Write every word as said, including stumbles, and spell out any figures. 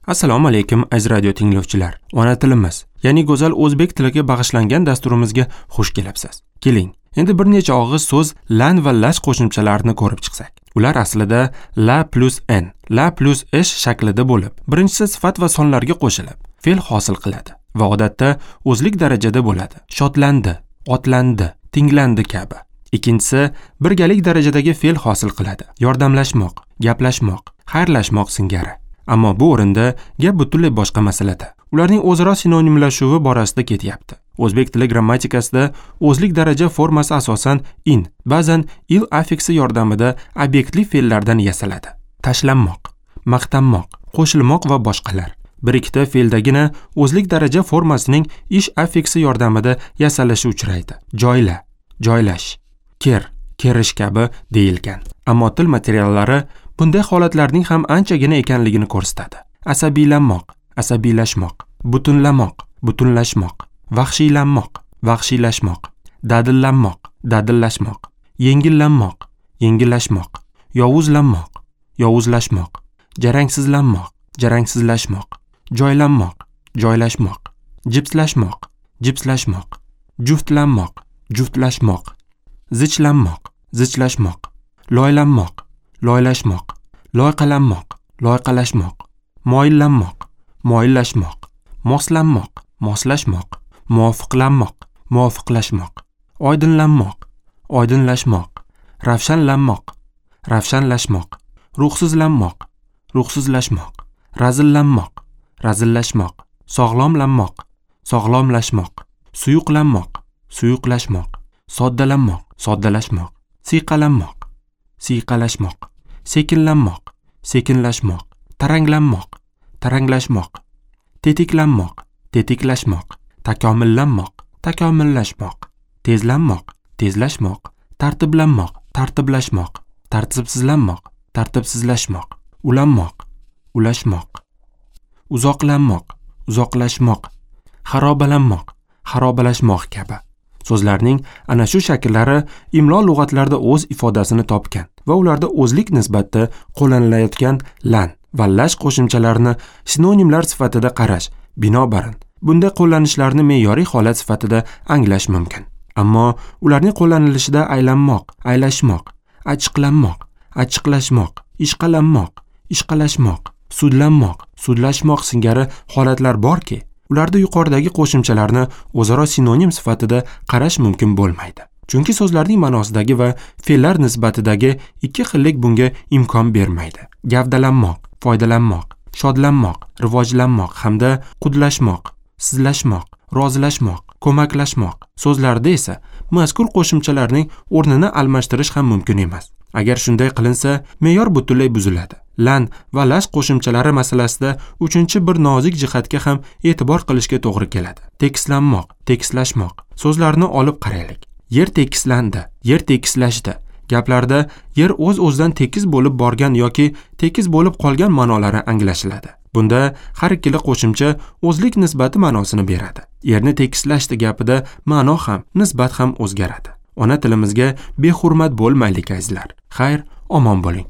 Assalomu alaykum aziz radio tinglovchilar. Ona tilimiz, ya'ni go'zal o'zbek tiliga bag'ishlangan dasturimizga xush kelibsiz. Keling, endi bir necha og'iz so'z lan va lash qo'shimchalarini ko'rib chiqsak. Ular aslida la plus n, la plus ish shaklida bo'lib, birinchisi sifat va sonlarga qo'shilib, fe'l hosil qiladi va odatda o'zlik darajada bo'ladi. Shodlandi, otlandi, tinglandi kabi. Ikkinchisi birgalik darajadagi fe'l hosil qiladi. Yordamlashmoq, gaplashmoq, xayrlashmoq singari. Ammo bu o'rinda gap butunlay boshqa masalada. Ularning o'zaro sinonimlashuvi borasida ketyapti. O'zbek tili grammatikasida o'zlik daraja formasi asosan in, ba'zan il affiksi yordamida obyektli fe'llardan yasaladi. Tashlanmoq, maqtanmoq, qo'shilmoq va boshqalar. Bir ikkita fe'ldagina o'zlik daraja formasining ish affiksi yordamida yasalishi uchraydi. Joyla, joylash, ker, kerish kabi deyilgan. Ammo til materiallari bunday holatlarning ham anchagina ekanligini ko'rsatadi. Asabiylanmoq, asabiylashmoq, butunlamoq, butunlashmoq, vahshiylanmoq, vahshiylashmoq, dadillanmoq, dadillashmoq, yengillanmoq, yengillashmoq, yovuzlanmoq, yovuzlashmoq, jarangsizlanmoq, jarangsizlashmoq, joylanmoq, joylashmoq, jipslashmoq, jipslashmoq, juftlanmoq, juftlashmoq, zichlanmoq, zichlashmoq, loylanmoq, loylashmoq, loyqalanmoq, loyqalashmoq, moyillanmoq, moyillashmoq, moslanmoq, moslashmoq, muvofiqlanmoq, muvofiqlashmoq, oydinlanmoq, oydinlashmoq, ravshanlanmoq, ravshanlashmoq, ruhsizlanmoq, ruhsizlashmoq, razillanmoq, razillashmoq, sog'lomlanmoq, sog'lomlashmoq, suyuqlanmoq, suyuqlashmoq, soddalanmoq, soddalashmoq, siyqalanmoq, siyqalashmoq, sekinlanmoq, sekinlashmoq, taranglanmoq, taranglashmoq, tetiklanmoq, tetiklashmoq, takomillanmoq, takomillashmoq, tezlanmoq, tezlashmoq, tartiblanmoq, tartiblashmoq, tartibsizlanmoq, tartibsizlashmoq, ulanmoq, ulashmoq, uzoqlanmoq, uzoqlashmoq, xarobalanmoq, xarobalashmoq kabi. So'zlarning ana shu shakllari imlo lug'atlarida o'z ifodasini topgan va ularda o'zlik nisbatda qo'llanilayotgan lan va lash qo'shimchalarini sinonimlar sifatida qarash, binobarin bunday qo'llanishlarni me'yoriy holat sifatida anglash mumkin. Ammo ularning qo'llanilishida aylanmoq, aylashmoq, achchiqlanmoq, achchiqlashmoq, ishqalanmoq, ishqalashmoq, sudlanmoq, sudlashmoq singari holatlar borki, ularda yuqoridagi qo'shimchalarni o'zaro sinonim sifatida qarash mumkin bo'lmaydi. Chunki so'zlarning ma'nosidagi va fe'llar nisbatidagi ikki xillik bunga imkon bermaydi. Gavdalanmoq, foydalanmoq, shodlanmoq, rivojlanmoq hamda qudlashmoq, sizlashmoq, rozilashmoq, ko'maklashmoq so'zlarida esa mazkur qo'shimchalarning o'rnini almashtirish ham mumkin emas. Agar shunday qilinsa, me'yor butunlay buziladi. Lan va lash qo'shimchalari masalasida uchinchi bir nozik jihatga ham e'tibor qilishga to'g'ri keladi. Tekislanmoq, tekislashmoq so'zlarini olib qaraylik. Yer tekislandi, yer tekislashdi. Gaplarda yer o'z-o'zidan tekis bo'lib borgan yoki tekis bo'lib qolgan ma'nolari anglashiladi. Bunda har ikkala qo'shimcha o'zlik nisbati ma'nosini beradi. Yerni tekislashdi gapida ma'no ham, nisbat ham o'zgaradi. Ona tilimizga behurmat bo'lmaylik azizlar. Xayr, omon bo'ling.